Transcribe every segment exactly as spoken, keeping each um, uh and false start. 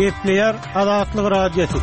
Gepleýär Azatlyk Radiosy.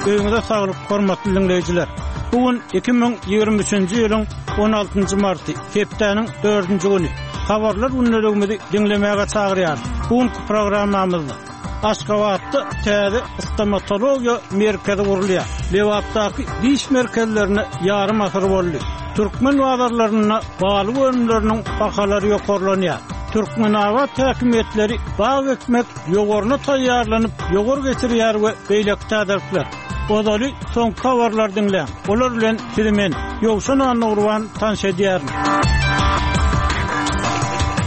Öýüňize saglyk, hormatly diňleýjiler. Bu gün iki müň ýigrimi üçünji ýylyň on altynjy marty, hepdäniň dördünji güni. Habarlar gündeligimizi diňlemäge çagyrýarys. Bu günki programmamyzda Aşgabatda täze stomatologiýa merkezi gurulýar. Lebapdaky diş merkezlerine ýarym asyr boldy. Türkmen bazarlarynda balyk önümleriniň bahalary ýokarlanýar. Türkmenabat häkimiýetleri bag ekmek ýowaryna taýýarlanyp, ýowar geçirýär we beýleki täzelikler. Ozaly soňky habarlary diňläň. Olar bilen sizi men, Ýowşan Annagurban tanyş edýärin.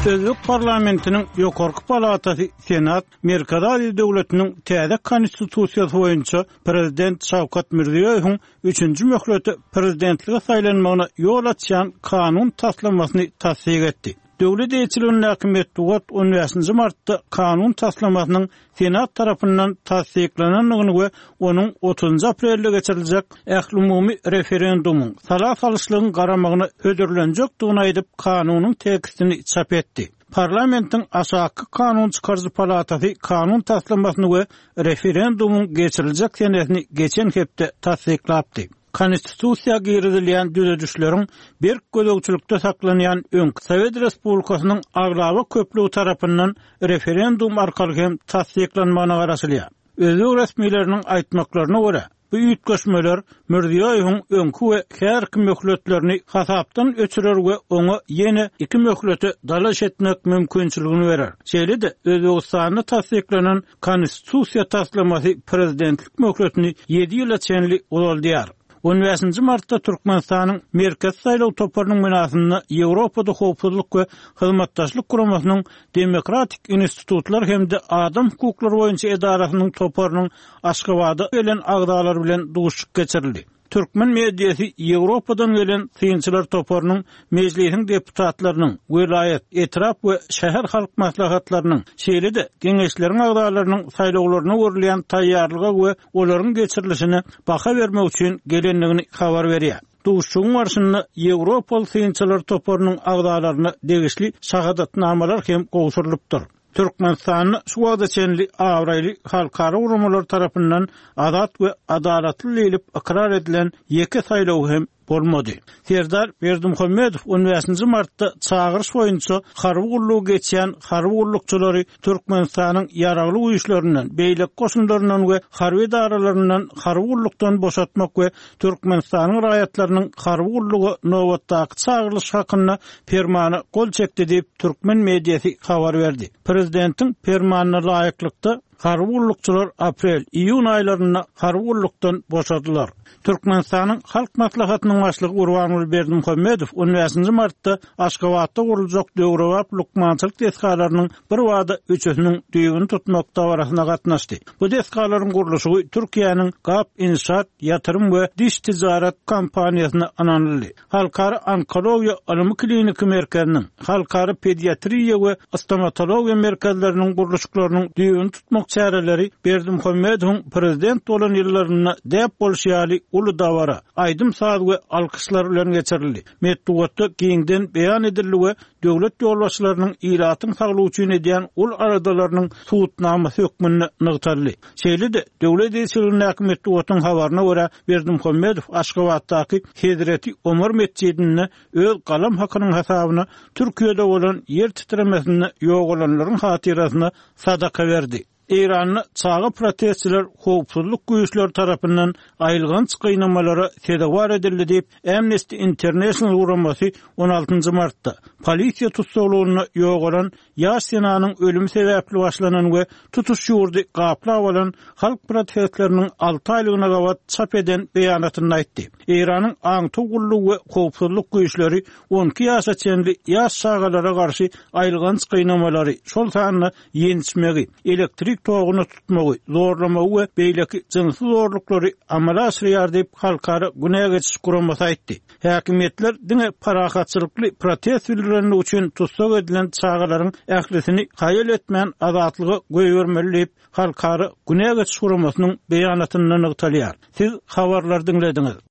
Özbek parlamentiniň ýokarky palatasy Senat Merkezi Aziýa döwletiniň täze konstitusiýasy boýunça prezident Şawkat Mirziýoýewiň üçünji möhlete prezidentlige saýlanmagyna ýol açýan kanun taslamasyny tassyk etdi. Döwlet eýeçiligindäki metbugat on bäşinji martda kanun taslamasynyň Senat tarapyndan tassyklanandygyny we onuň otuzynjy aprelde geçiriljek ählumumy referendumyň sala salyşlygyň garamagyna hödürlenjekdigini aýdyp, kanunyň tekstini çap etdi. Parlamentiň aşaky kanun çykaryjy palatasy kanun taslamasyny we referendumyň geçiriljek senesini geçen hepde tassyklapdy. Konstitusiýa girizilýän düzedişleriň berk gözegçilikde saklanýan öňki Sowet Respublikasynyň aglaba köplügi tarapyndan referendum arkaly hem tassyklanmagyna garaşylýar. Özbek resmileriniň aýtmaklaryna görä, bu üýtgeşmeler Mirziýoýewiň öňki we häzirki möhletlerini hasapdan öçürer we oňa ýene iki möhlete dalaş etmek mümkinçiligini berer. Şeýle-de Özbegistanda tassyklanan konstitusiýa taslamasy prezidentlik möhletini ýedi ýyla çenli uzaldýar. On bäşinji martda Türkmenistanyň Merkezi saýlaw toparynyň binasynda Ýewropada howpsuzlyk we hyzmatdaşlyk guramasynyň Demokratik institutlar hem-de adam hukuklary boýunça edarasynyň toparynyň Aşgabada gelen agzalary bilen duşuşyk geçirildi. Türkmen mediasy Ýewropadan gelen synçylar toparynyň mejlisiň deputatlarynyň, welaýat, etrap we şäher halk maslahatlarynyň, şeýle-de geňeşleriň agzalarynyň saýlawlaryna görülýän taýýarlyga we olaryň geçirilişine baha bermek üçin gelendigini habar berýär. Duşuşygyň barşynda Ýewropaly synçylar toparynyň agzalaryna degişli şahadatnamalar hem gowşurylypdyr. Türkmenistanda şu wagta çenli abraýly halkara guramalar tarapyndan azat we adalatly diýlip ykrar edilen ýeke saýlaw hem bolmady. Serdar Berdimuhamedow on bäşinji martda çagyryş boýunça harby gullugy geçýän harby gullukçylary Türkmenistanyň ýaragly güýçlerinden, beýleki goşunlaryndan we harby edaralaryndan harby gullukdan boşatmak we Türkmenistanyň raýatlarynyň harby gulluga nobatdaky çagyrylyş hakynda permana gol çekdi diýip türkmen mediasy habar berdi. Prezidentiň permanyna laýyklykda harby gullukçylar aprel, iýun aýlarynda harby gullukdan boşadylar. Türkmenistanyň Halk Maslahatynyň başlygy Gurbanguly Berdimuhamedow on bäşinji martda Aşgabatda guruljak döwrebap lukmançylyk desgalarynyň bir wada üçüsiniň düýbüni tutmak dabarasyna gatnaşdy. Bu desgalaryň gurluşygy Türkiýäniň Gap Inşaat Ýatyrym we Diş Ticaret kompaniýasyna ynanyldy. Halkara onkologiýa ylmy kliniki merkeziniň, Halkara pediatriýa we stomatologiýa merkezleriniň gurluşyklarynyň düýbüni tutmak çäreleri Berdimuhamedowyň prezident bolan ýyllarynda däp bolşy ýaly uly dabara, aýdym saz we alkyşlar bilen geçirildi. Metbugatda giňden beýan edildi we döwlet ýolbaşçylarynyň ilatyň saglygy üçin edýän ul aradalarynyň subutnamasy hökmünde nygtaldy. Şeýle-de döwlet eýeçiligindäki metbugatyň habaryna görä Berdimuhamedow Aşgabatdaky Hezreti Omar metjidinde öz galam hakynyň hasabyna Türkiýede bolan ýer titremesinde ýogalanlaryň hatyrasyna sadaka berdi. Eýranda çaga protestçiler howpsuzlyk güýçleri tarapyndan aýylganç gynamalara sezewar edildi diýip Amnesty International guramasy on altynjy martda polisiýa tussaglygynda ýogalan ýaş senanyň ölümi sebäpli başlanan we tutuş ýurdy gaplap alan halk protestleriniň alty aýlygyna gabat çap eden beýanatynda aýtdy. Eýranyň aňtaw gullugy we howpsuzlyk güýçleri on iki ýaşa çenli ýaş çagalara garşy aýylganç gynamalary, şol sanda ýençmegi, elektrik toguny tutmagy, zorlamagy we beýleki jynsy zorluklary amala aşyrýar diýip halkara günä geçiş guramasy aýtdy. Häkimiýetler diňe parahatçylykly protest bildirenligi üçin tussag edilen çagalaryň ählisini haýal etmän azatlyga goýbermeli diýip halkara günä geçiş guramasynyň beýanatynda nygtalýar. Siz habarlar diňlediňiz.